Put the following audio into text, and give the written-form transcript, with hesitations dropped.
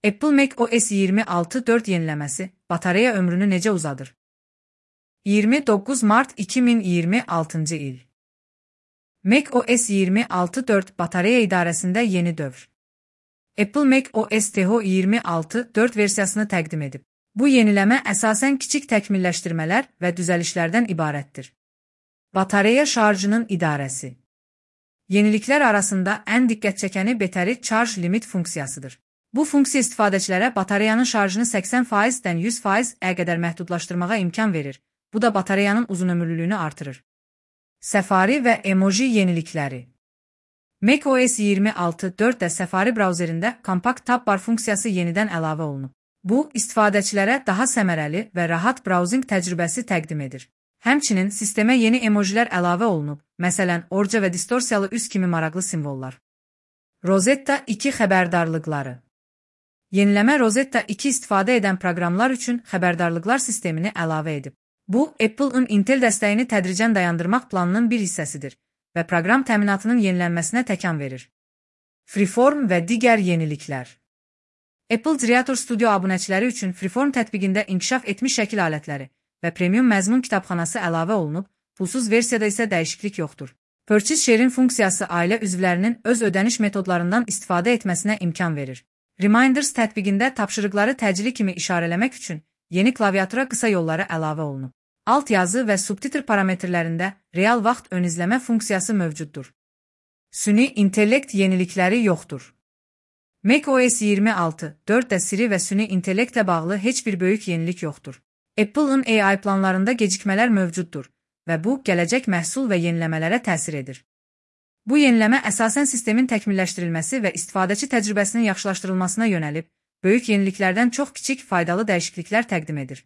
Apple macOS 26.4 yeniləməsi batareya ömrünü necə uzadır? 29 Mart 2026 il. macOS 26.4 batareya idarəsində yeni dövr. Apple macOS THO 26.4 versiyasını təqdim edib. Bu yeniləmə əsasən kiçik təkmilləşdirmələr və düzəlişlərdən ibarətdir. Batareya şarjının idarəsi. Yeniliklər arasında ən diqqət çəkəni Battery Charge Limit funksiyasıdır. Bu funksiya istifadəçilərə batareyanın şarjını 80%-dən 100%-ə qədər məhdudlaşdırmağa imkan verir. Bu da batareyanın uzunömürlülüyünü artırır. Safari və emoji yenilikləri. macOS 26.4-də Safari brauzerində kompakt tab bar funksiyası yenidən əlavə olunub. Bu, istifadəçilərə daha səmərəli və rahat browsing təcrübəsi təqdim edir. Həmçinin sistemə yeni emojilər əlavə olunub, məsələn, orca və distorsiyalı üz kimi maraqlı simvollar. Rosetta 2 xəbərdarlıqları. Yeniləmə Rosetta 2 istifadə edən proqramlar üçün xəbərdarlıqlar sistemini əlavə edib. Bu, Apple-ın Intel dəstəyini tədricən dayandırmaq planının bir hissəsidir və proqram təminatının yenilənməsinə təkan verir. Freeform və digər yeniliklər. Apple Creator Studio abunəçiləri üçün Freeform tətbiqində inkişaf etmiş şəkil alətləri və premium məzmun kitabxanası əlavə olunub, pulsuz versiyada isə dəyişiklik yoxdur. Purchase Share-in funksiyası ailə üzvlərinin öz ödəniş metodlarından istifadə etməsinə imkan verir. Reminders tətbiqində tapşırıqları təcili kimi işarələmək üçün yeni klaviatura qısa yolları əlavə olunub. Alt yazı və subtitr parametrlərində real vaxt ön izləmə funksiyası mövcuddur. Süni intellekt yenilikləri yoxdur. macOS 26.4-də Siri və süni intellektlə bağlı heç bir böyük yenilik yoxdur. Apple-ın AI planlarında gecikmələr mövcuddur və bu, gələcək məhsul və yeniləmələrə təsir edir. Bu yeniləmə əsasən sistemin təkmilləşdirilməsi və istifadəçi təcrübəsinin yaxşılaşdırılmasına yönəlib, böyük yeniliklərdən çox kiçik faydalı dəyişikliklər təqdim edir.